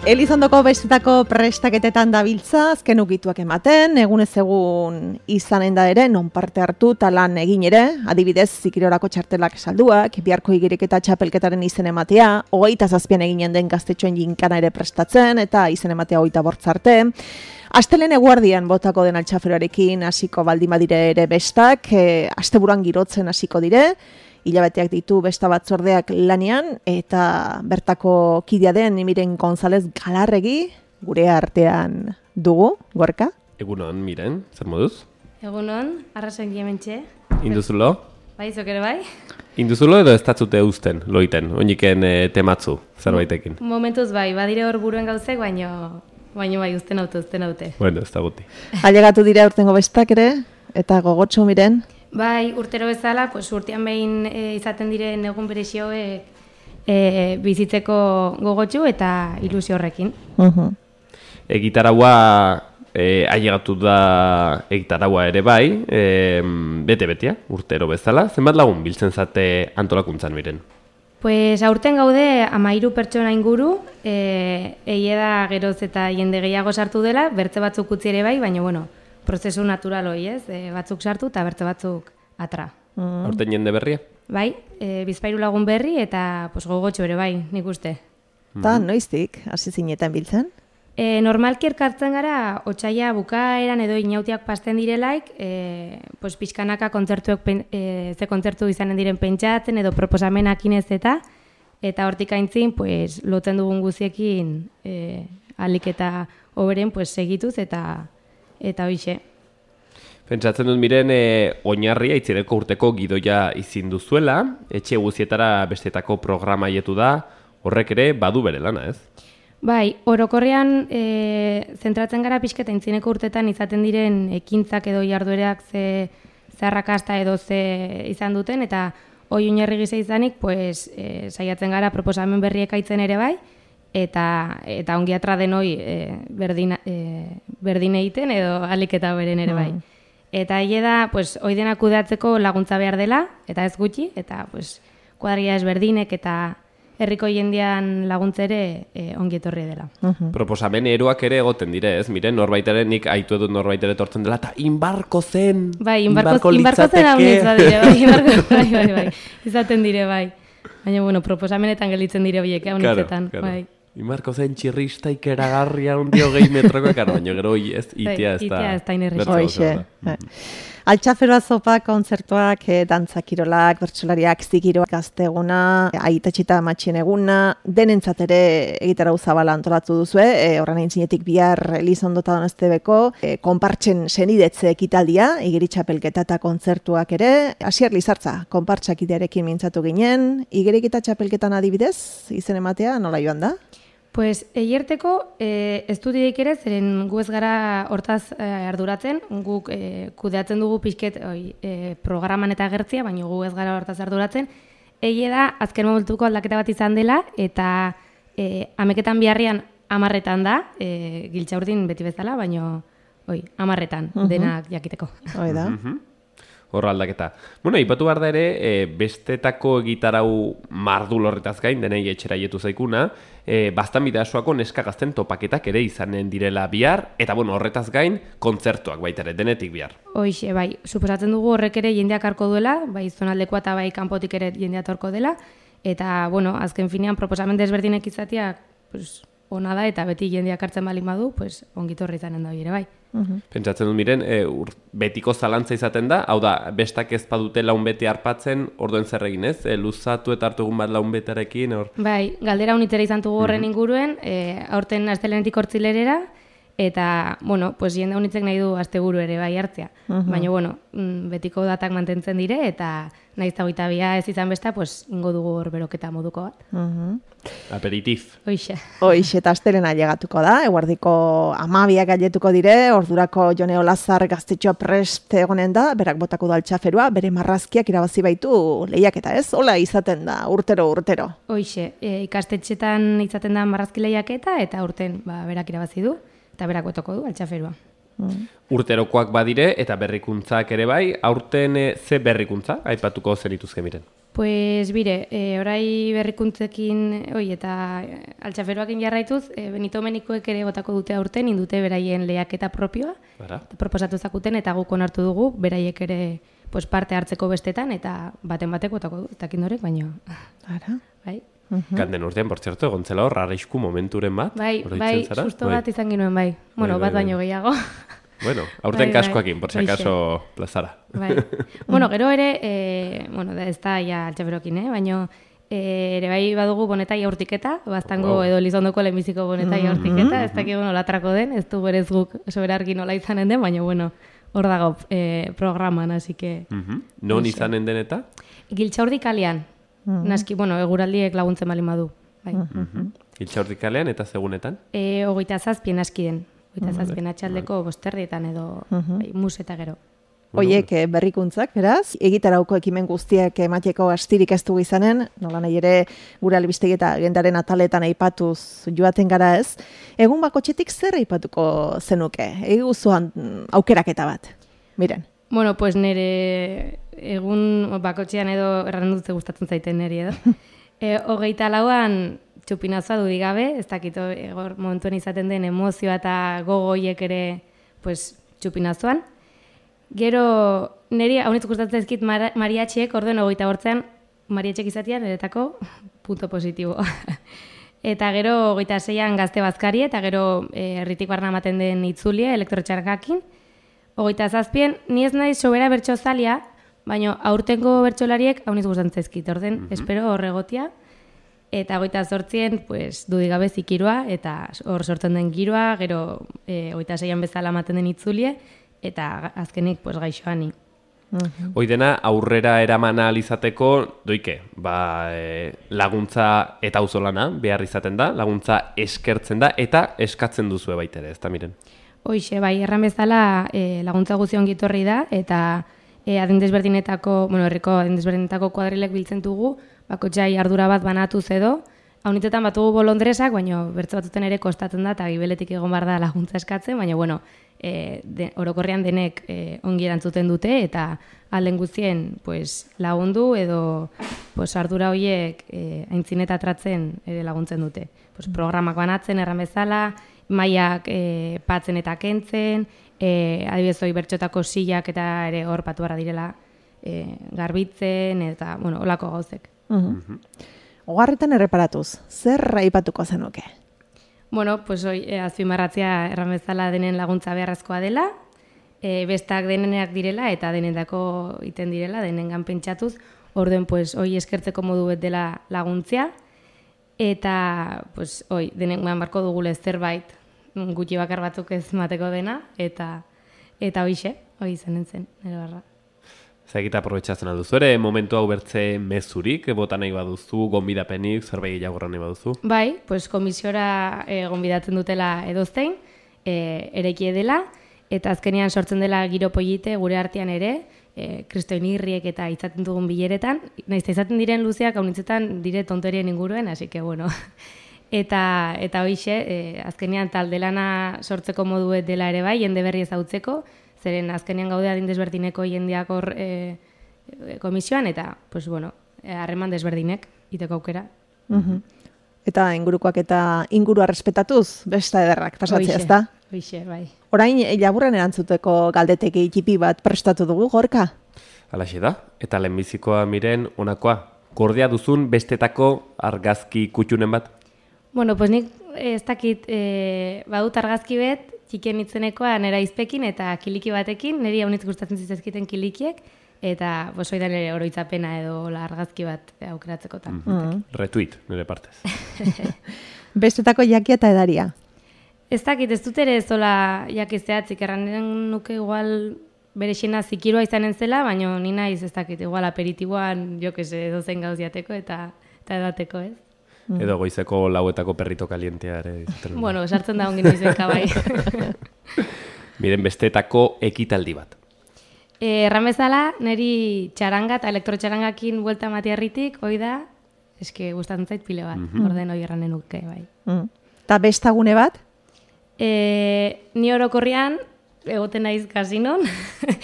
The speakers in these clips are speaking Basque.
Elizondoko bestetako prestaketetan dabiltza, azken ukituak ematen, egunez egun izanen da ere, non parte hartu talan egin ere, adibidez, zikirorako txartelak salduak, biharko igiriketa txapelketaren izen ematea, 27an eginen den gaztetxoen jinkana ere prestatzen, eta izen ematea 28 arte. Astelehen eguardian botako den altxaferoarekin hasiko baldin badire ere bestak, asteburuan girotzen hasiko dire, hilabeteak ditu besta batzordeak lanean, eta bertako kidea den Miren González Galarregi gure artean dugu, Gorka? Egunon, Miren, zer moduz? Egunon, arrasen hementxe. Induzulo? Bai, zok ere bai? Induzulo edo ez datzute usten, loiten, oiniken tematzu, zerbaitekin? Momentuz bai, badire hor buruen gauzek, baino bai, usten haute. Bueno, ez da guti. Ailegatu dira urtengo bestak ere, eta gogotsu Miren? Bai, urtero bezala, urtean behin izaten diren egun berezioek bizitzeko gogotsu eta ilusio horrekin. Egitaraua, ailegatu da egitaraua ere bai, bete-betea, urtero bezala. Zenbat lagun biltzen zate antolakuntzan Miren? Pues aurten gaude 13 pertsona inguru, egia da geroz eta jende gehiago sartu dela, bertze batzuk utzi ere bai, baina bueno, prozesu natural hori, ez? Batzuk sartu eta bertze batzuk atra. Aurten jende berria? Bai, bizpairu lagun berri eta gogotxo ere bai, nik uste. Eta noiztik, hasi zinetan biltzen? Normalki elkartzen gara, otsaila bukaeran edo inautiak pasten direlaik, pixkanaka kontzertuek ze kontzertu izanen diren pentsatzen edo proposamenakin ez eta hortik aintzin, lotzen dugun guziekin alik eta hoberen segituz eta hoxe. Pentsatzen dut Miren, oinarria itzireko urteko gidoia izin duzuela, etxe guzietara bestetako programa haietu da, horrek ere badu bere lana, ez? Bai, orokorrean zentratzen gara pixketa intzineko urtetan izaten diren ekintzak edo jarduerak ze arrakasta edo ze izan duten, eta hoi oinarri gisa izanik, saiatzen gara proposamen berriek aitzen ere bai, eta ongi atra denoi berdin egiten edo alik eta beren ere bai. Eta hile da, hoi denak kudeatzeko laguntza behar dela, eta ez gutxi, eta kuadria ezberdinek eta herriko jendean laguntzere ongi etorri dela. Proposamen eroak ere egoten dire, ez? Miren, norbaitare, nik aitu edut norbaitere tortzen dela, eta inbarko zen! Bai, inbarko zen haunitza dire, bai. Izaten dire, bai. Baina, proposamenetan gelitzen dire horiek, haunitzetan, bai. Inbarko zen txirrista ikeragarria undi 20 metroko ekar, baina gero ez itea ez da. Itea ez da inerrexo. Altxaferoa zopa, kontzertuak, dantzakirolak, bertsolariak, zikiroak, gazteguna, aitatxita matxien eguna, denentzat ere egitara uzabala antolatu duzue, horren egin zinetik bihar Elizondota Donostebeko, konpartxen senidetze ekitaldia, igeritxapelketa eta kontzertuak ere, Asier Lizartza, konpartxak idearekin mintzatu ginen, igeriketa txapelketan adibidez, izen ematea, nola joan da? Eierteko ez du dideik ere, zeren gu ez gara hortaz arduratzen, guk kudeatzen dugu pixket programan eta agertzia, baina gu ez gara hortaz arduratzen. Egie da, azken momentuko aldaketa bat izan dela, eta ameketan biharrian 10 da, Giltxaurdin beti bezala, baina 10 denak jakiteko. Hoi da. Horra aldaketa. Bueno, ipatu behar da ere, bestetako egitarau mardul horretaz gain, denei etxera jetu zaikuna, bastan bidasoako neska gazten topaketak ere izanen direla bihar, eta horretaz gain, kontzertuak baita ere, denetik bihar. Hoixe, bai, suposatzen dugu horrek ere jendeak harko duela, bai zonaldekoa eta bai kanpotik ere jendea torko dela, eta, azken finean proposamen desberdinek izateak, ona da, eta beti jendeak hartzen balin badu, ongitorri izanen da ere bai. Pentsatzen dut Miren, betiko zalantza izaten da, hau da, bestak ez badute laun bete harpatzen, orduen zer egin ez? Luzatu eta hartu egun bat laun betearekin? Bai, galdera unitzera izan dugu horren inguruen, aurten astelenetik hortzilerera, eta, jende unitzek nahi du asteburu ere bai hartzea. Baina, betiko datak mantentzen dire, eta nahiz eta 22 ez izan besta, ingo dugu hor beroketa moduko bat. Aperitif. Hoixe, eta astelena llegatuko da, eguardiko 12 gailetuko dire, ordurako Jone Olazar gaztetxoa prest egonen da, berak botako da altxaferua, bere marrazkiak irabazi baitu lehiaketa, ez? Hola izaten da, urtero. Hoixe, ikastetxetan izaten da marrazki lehiaketa, eta urten berak irabazi du, eta berak botako du altxaferua. Urterokoak badire eta berrikuntzak ere bai, aurten ze berrikuntza aipatuko zenituzke Miren? Pues bire, orai berrikuntzekin, eta altxaferoakin jarraituz, Benito Menikoek ere botako dute aurten, indute beraien lehiaketa propioa, proposatu zakuten, eta guk onartu dugu, beraiek ere pues, parte hartzeko bestetan, eta baten batek botako du, eta kindorek, baino. Ara. Bai. Ganden urtean, por cierto, egontzela hor, arrisku momenturen bat. Bai, susto bat izan ginuen, bai. Bueno, bat baino gehiago. Bueno, aurten kaskoakin, por si acaso plazara. Bai. Bueno, gero ere, ez da ja altxaferokin, baina ere bai badugu bonetai aurtiketa, bastango edo Lizondoko lehenbiziko bonetai aurtiketa, ez dakik olatrako den, ez du berez guk soberarki nola izanen den, baina bueno, hor dago programan, así que... Non izanen den eta? Giltxaurdi kalean, naski, eguraldiek laguntzen bali madu. Giltxaurdi kalean eta segunetan? 27 naski den. Eta zazpien atxaldeko bosterdietan edo mus eta gero. Oiek berrikuntzak, beraz, egitarauko ekimen guztiak emateko astirik ez dugu izanen, nola nahi ere gure albistegi eta agendaren ataletan aipatuz joaten gara ez. Egun bakotxetik zer aipatuko zenuke? Eguzuan aukeraketa bat, miren. Bueno, pues nire egun bakotxean edo erran dutze gustatzen zaiten niri edo. 24an txupinazoa dudik gabe, ez dakit momentuen izaten den emozioa eta gogoiek ere pues, txupinazoan. Gero, niri haunitz gustatzen ezkit mariatxiek, orduen 28an mariatxek izatean, eretako punto positibo. Eta gero, 26an gazte bazkari, eta gero herritik barna ematen den itzulia, elektrotxarkakin. 27an, ni ez naiz sobera bertsozalia, baina aurtengo bertsolariek haunitz gustatzen ezkit, orden, espero horregotia. Eta 28an, pues, dudigabe zikirua, eta hor sortzen den giroa, gero 26an bezala ematen den itzulie, eta azkenik pues, gaixoani. Hoi dena, aurrera eraman alizateko, doike, laguntza eta auzolana behar izaten da, laguntza eskertzen da, eta eskatzen duzue baitere, ez da miren? Hoixe, bai, erran bezala laguntza guzion gitorri da, eta adindezberdinetako, herriko adindezberdinetako kuadrilek biltzen dugu, bakotxai ardura bat banatuz edo, haunitetan batugu bolondresak, baina bertze batuten ere kostatzen da, eta gibeletik egon behar da laguntza eskatzen, baina orokorrean denek ongi erantzuten dute, eta alden guztien lagundu edo ardura horiek aintzineta atratzen ere laguntzen dute. Programak banatzen erran bezala, mailak patzen eta kentzen, adibidez hori bertxotako silak eta ere hor patu barra direla garbitzen, eta olako gauzek. Ogarretan erreparatuz, zer aipatuko zenuke? Azpimarratzea erran bezala denen laguntza beharrezkoa dela, bestak denenak direla eta denetako iten direla, denengan pentsatuz, orduen hoi eskertzeko modu bet dela laguntzia, eta denengan barko dugule zerbait gutxi bakar batzuk ez mateko dena, eta hoi izanen zen, nire barra. Zagita aprobetxatzen alduzu ere, momentu hau bertze mezurik, bota nahi baduzu, gonbidapenik, zerbait gehiagorra nahi baduzu? Bai, komisiora gonbidatzen dutela edoztein, erekie dela, eta azkenean sortzen dela giro polite gure artean ere, kristoin irriek eta izaten dugun bileretan, naizta izaten diren luzeak haunitzetan dire tontorien inguruen, hasi que bueno. Eta hoixe, azkenean taldelana sortzeko moduet dela ere bai, jende berri ezautzeko, zeren azkenean gaude adindezberdineko jendeak hor komisioan, eta, harreman desberdinek, iteko aukera. Eta ingurukoak eta ingurua respetatuz, besta ederrak pasatzea, ez da? Hoixe, bai. Orain, laburren erantzuteko galdeteki txipi bat prestatu dugu, Gorka? Halaxe da, eta lehenbizikoa miren onakoa. Gordea duzun bestetako argazki kutxunen bat? Nik ez dakit badut argazki bet, txikien itzenekoa nera izpekin eta kiliki batekin, niri haunitz gustatzen zizezkiten kilikiek, eta oidan ere oroitzapena edo argazki bat aukeratzekotan. Retweet, nire partez. Bestetako jakia eta edaria? Ez dakit, ez dut ere zola jakizeatzik, erranden nuke igual bere xena zikirua izanen zela, baina ni naiz ez dakit, igual aperitiboan edo zen gauz jateko eta edateko, ez? Edo goizeko lauetako perrito kalientea ere. Sartzen da ongin izenka bai. Miren, bestetako ekitaldi bat. Erran bezala, niri txaranga eta elektrotxarangakin buelta matiarritik, hoi da, eske gustatzen zait pile bat, orden hoi erranen nuke bai. Eta bestagune bat? Ni orokorrian, egoten naiz kasinon,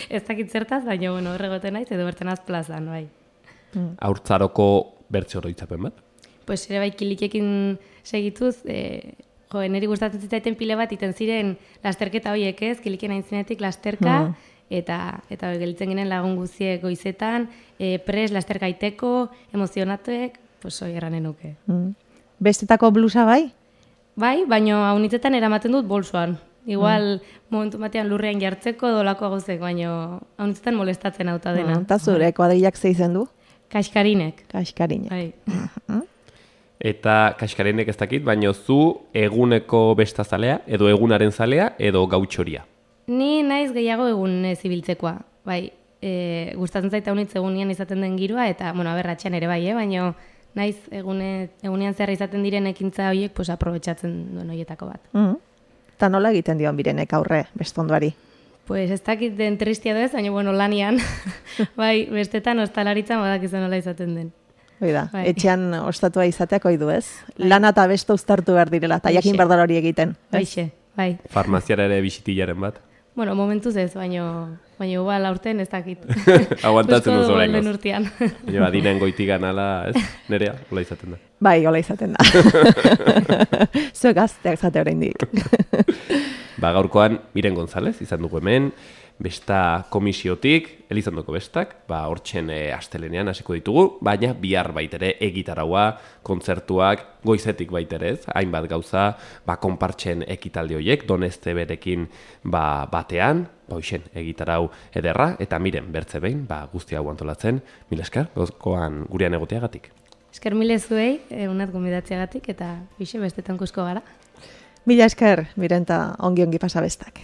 ez dakit zertaz, baina horregoten naiz, edo berten az plazan, bai. haurtzaroko bertze oroitzapen bat? Pues ere bai kilikekin segituz, niri gustatzen zitaiten pile bat iten ziren lasterketa horiek ez, kiliken aintzinetik lasterka, eta gelditzen ginen lagun guziek goizetan, pres, lasterka iteko, emozionatuek, pues hori erranen nuke. Bestetako blusa bai? Bai, baina haunitzetan eramaten dut bolsoan. Igual, momentu batean lurrean jartzeko dolako agozek, baina haunitzetan molestatzen auta dena. Eta zure kuadrillak ze izen du? Kaskarinek. Kaskarinek. Bai. Eta kaskarinek ez dakit, baina zu eguneko bestazalea, edo egunaren zalea, edo gautxoria? Ni naiz gehiago egun zibiltzekoa. Bai, gustatzen zaita haunitz egunean izaten den giroa, eta, bueno, aberratxean ere bai, baina naiz egunean zerra izaten diren ekintza horiek, pues, aprobetxatzen duen horietako bat. Eta nola egiten dion birenek aurre bestonduari? Pues ez dakit den tristia doez, baina bueno, lanian, bai, bestetan ostalaritzan badakizu nola izaten den. Oida, Bai. etxean ostatua izateak oidu ez? Lana eta besto uztartu behar direla, eta jakin behar dara hori egiten. Baixe, bai. Farmaziara ere bisitillaren bat? Bueno, momentuz ez, baina igual aurten ez dakit. Aguantatzen duzu oraingoz. oraingoz. Urtean. Baina adinen goitigan ala, ez? Nerea, hola izaten da. Bai, hola izaten da. Zuek gazteak zate oraindik. Gaurkoan, Miren González izan dugu hemen, besta komisiotik, Elizondoko bestak, hortxen astelenean hasiko ditugu, baina bihar baitere egitaraua, kontzertuak, goizetik baitere ez, hainbat gauza, konpartxen ekitaldi horiek, Doneste berekin batean, hoixen egitarau ederra, eta Miren bertze behin, guzti hau antolatzen, mila esker, gaurkoan gurean egoteagatik. Esker mile zuei, unat gomidatzeagatik, eta hoxe bestetan kusko gara. Mila esker, Miren, eta ongi pasa bestak.